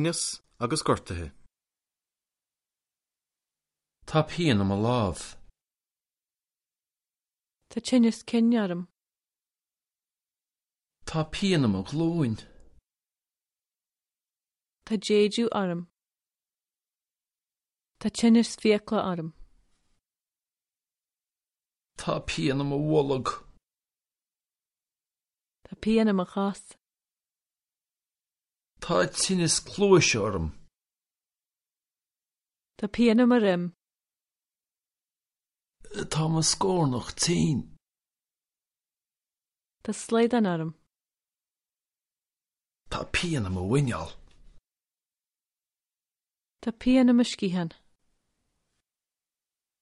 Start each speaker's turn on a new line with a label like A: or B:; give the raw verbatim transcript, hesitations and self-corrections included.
A: Tinneas agus gortuithe.
B: Tá pian i mo lámh.
C: Tá tinneas cinn orm.
B: Tá pian i mo ghlúin.
C: Tá déideadh orm. Tá tinneas fiacla orm.
B: Tá pian i mo bholg.
C: Tá pian i mo chos.
B: Tá tinneas cluaise orm.
C: Tá pian i mo dhroim.
B: Tá mo scornach tinn.
C: Tá slaghdán orm.
B: Tá pian i mo mhuineál.
C: Tá pian i mo sciathán.